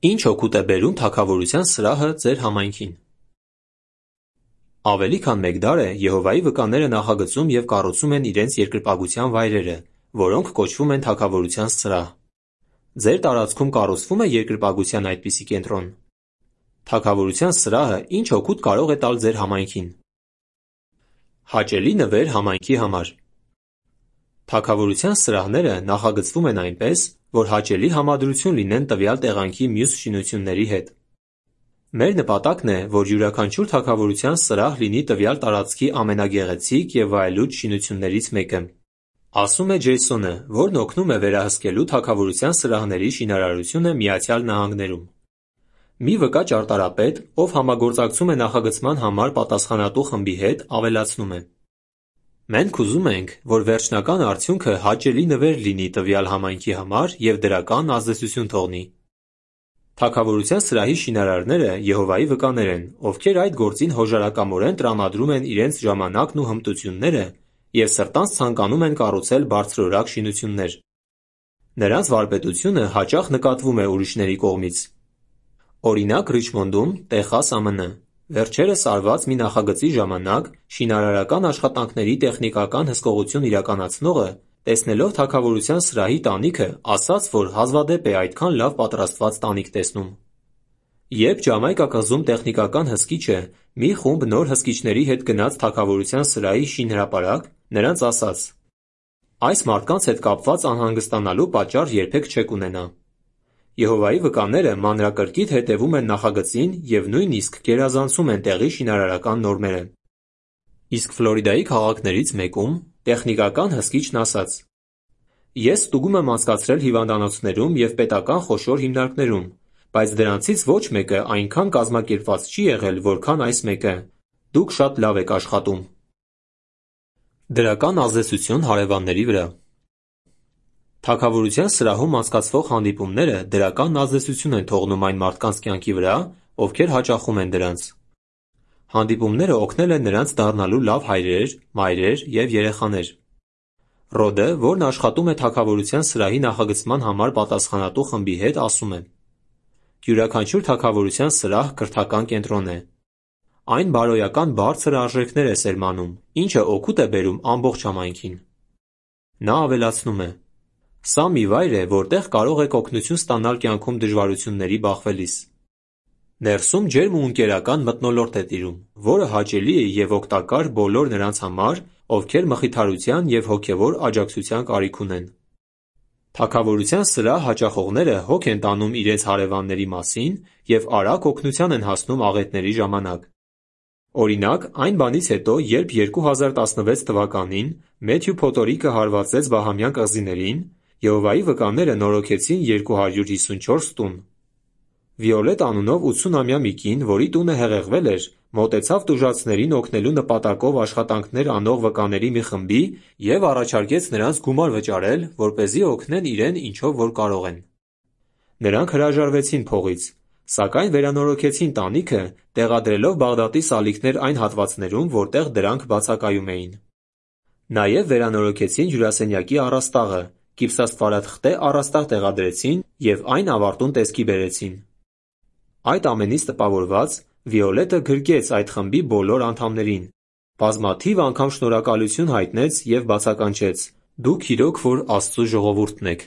Ինչ օգուտ է բերում թագավորության սրահը ձեր համայնքին։ Ավելի քան մեկ դար է Եհովայի վկաները նախագծում և կառուցում են իրենց երկրպագության վայրերը, որոնք կոչվում են թագավորության սրահ։ Ձեր տարածքում կառուցվում է երկրպագության այդպիսի կենտրոն։ Թագավորության սրահը ինչ օգուտ կարող է տալ ձեր համայնքին։ Հաճելի նվեր համայնքի համար։ Թագավորության սրահները նախագծվում են այնպես, որ հաճելի համադրություն լինեն տվյալ տեղանքի մյուս շինությունների հետ։ Մեր նպատակն է, որ յուրաքանչյուր թագավորության սրահ լինի տվյալ տարածքի ամենագեղեցիկ և վայելուչ շինություններից մեկը, ասում է Ջեյսոնը, որն օգնում է վերահսկելու թագավորության սրահների շինարարությունը Միացյալ Նահանգներում։ Մի վկա ճարտարապետ, ով համագործակցում է նախագծման համար պատասխանատու խմբի հետ, ավելացնում է. Մենք ուզում ենք, որ վերջնական արդյունքը հաճելի նվեր լինի տվյալ համայնքի համար և դրական ազդեցություն թողնի։ Թագավորության սրահի շինարարները Եհովայի վկաներ են, ովքեր այդ գործին հոժարակամորեն տրամադրում են իրենց ժամանակն ու հմտությունները և սրտանց ցանկանում են կառուցել բարձրորակ շինություններ։ Նրանց վարպետությունը հաճախ նկատվում է ուրիշների կողմից։ Օրինակ Ռիչմոնդում, Տեխաս, ԱՄՆ, վերջերս արված մի նախագծի ժամանակ շինարարական աշխատանքների տեխնիկական հսկողություն իրականացնողը, տեսնելով թագավորության սրահի տանիքը, ասաց, որ հազվադեպ է այդքան լավ պատրաստված տանիք տեսնում։ Երբ Ջամայկա կղզում տեխնիկական հսկիչը մի խումբ նոր հսկիչների հետ գնաց թագավորության սրահի շինհրապարակ, նրանց ասաց. «Այս մարդկանց հետ կապված անհանգստանալու պատճառ երբեք չեք ունենա»։ Եհովայի վկաները մանրակրկիտ հետևում են նախագծին և նույնիսկ գերազանցում են տեղի շինարարական նորմերը։ Իսկ Ֆլորիդայի քաղաքներից մեկում տեխնիկական հսկիչն ասաց. «Ես ստուգում եմ անցկացրել հիվանդանոցներում և պետական խոշոր հիմնարկներում, բայց դրանցից ոչ մեկը այնքան կազմակերպված չի եղել, որքան այս մեկը։ Դուք շատ լավ եք աշխատում»։ Դրական ազդեցություն հարևանների վրա։ Թագավորության սրահում անցկացվող հանդիպումները դրական ազդեցություն են թողնում այն մարդկանց կյանքի վրա, ովքեր հաճախում են դրանց։ Հանդիպումները օգնել են նրանց դառնալու լավ հայրեր, մայրեր և երեխաներ։ Ռոդը, որն աշխատում է թագավորության սրահի նախագծման համար պատասխանատու խմբի հետ, ասում է. «Յուրաքանչյուր թագավորության սրահ կրթական կենտրոն է։ Այն բարոյական բարձր արժեքներ է սերմանում, ինչը օգուտ է բերում ամբողջ համայնքին»։ Նա ավելացնում է. «Սա մի վայր է, որտեղ կարող եք օգնություն ստանալ կյանքում դժվարությունների բախվելիս։ Ներսում ջերմ ու ընկերական մթնոլորտ է տիրում, որը հաճելի է և օգտակար բոլոր նրանց համար, ովքեր մխիթարության և հոգևոր աջակցության կարիք ունեն»։ Թագավորության սրահ հաճախողները հոգ են տանում իրենց հարևանների մասին և արագ օգնության են հասնում աղետների ժամանակ։ Օրինակ, այն բանից հետո, երբ 2016 թվականին Մեթյու փոթորիկը հարվածեց Բահամյան կղզիներին, Եհովայի վկաները նորոգեցին 254 տուն։ Վիոլետ անունով 80-ամյա մի կին, որի տունը հեղեղվել էր, մոտեցավ տուժածներին օգնելու նպատակով աշխատանքներ անող վկաների մի խմբի և առաջարկեց նրանց գումար վճարել, որպեսզի օգնեն իրեն ինչով որ կարող են։ Նրանք հրաժարվեցին փողից, սակայն վերանորոգեցին տանիքը, տեղադրելով Բաղդադի սալիկներ այն հատվածներում, որտեղ դրանք բացակայում էին։ Նաև վերանորոգեցին հյուրասենյակի առաստաղը, գիպսաստվարաթղթե առաստաղ տեղադրեցին և այն ավարտուն տեսքի բերեցին։ Այդ ամենից տպավորված, Վիոլետը գրկեց այդ խմբի բոլոր անդամներին, բազմաթիվ անգամ շնորհակալություն հայտնեց և բացականչեց. «Դուք իրոք որ Աստծու ժողովուրդն եք։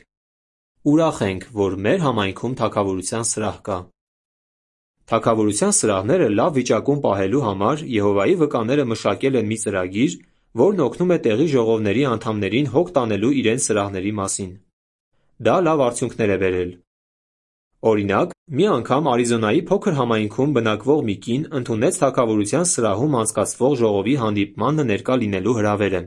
Ուրախ ենք, որ մեր համայնքում թագավորության սրահ կա»։ Թագավորության սրահները լավ վիճակում պահելու համար Եհովայի վկաները մշակել են մի ծրագիր, որն օգնում է տեղի ժողովների անդամներին հոգ տանելու իրենց սրահների մասին։ Դա լավ արդյունքներ է բերել։ Օրինակ, մի անգամ Արիզոնայի փոքր համայնքում բնակվող մի կին ընդունեց թագավորության սրահում անցկացվող ժողովի հանդիպմանը ներկա լինելու հրավերը։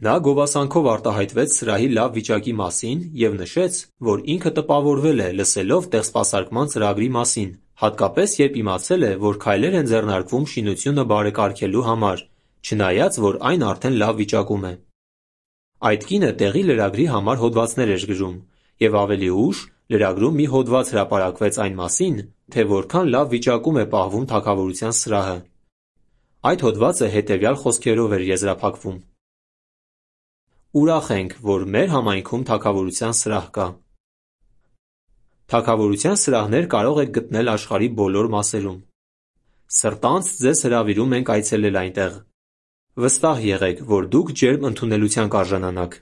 Նա գովասանքով արտահայտվեց սրահի լավ վիճակի մասին և նշեց, որ ինքը տպավորվել է լսելով տեղսպասարկման ծրագրի մասին, հատկապես երբ իմացել է, որ քայլեր են ձեռնարկվում շինությունը բարեկարգելու համար, չնայած որ այն արդեն լավ վիճակում է։ Այդ կինը տեղի լրագրի համար հոդվածներ էր գրում, և ավելի ուշ լրագրում մի հոդված հրապարակվեց այն մասին, թե որքան լավ վիճակում է պահվում թագավորության սրահը։ Այդ հոդվածը հետևյալ խոսքերով էր եզրափակվում. «Ուրախ ենք, որ մեր համայնքում թագավորության սրահ կա։ Թագավորության սրահներ կարող եք գտնել աշխարհի բոլոր մասերում։ Սրտանց ձեզ հրավիրում ենք այցելել այնտեղ։ Վստահ եղեք, որ դուք ջերմ ընդունելության կարժանանաք։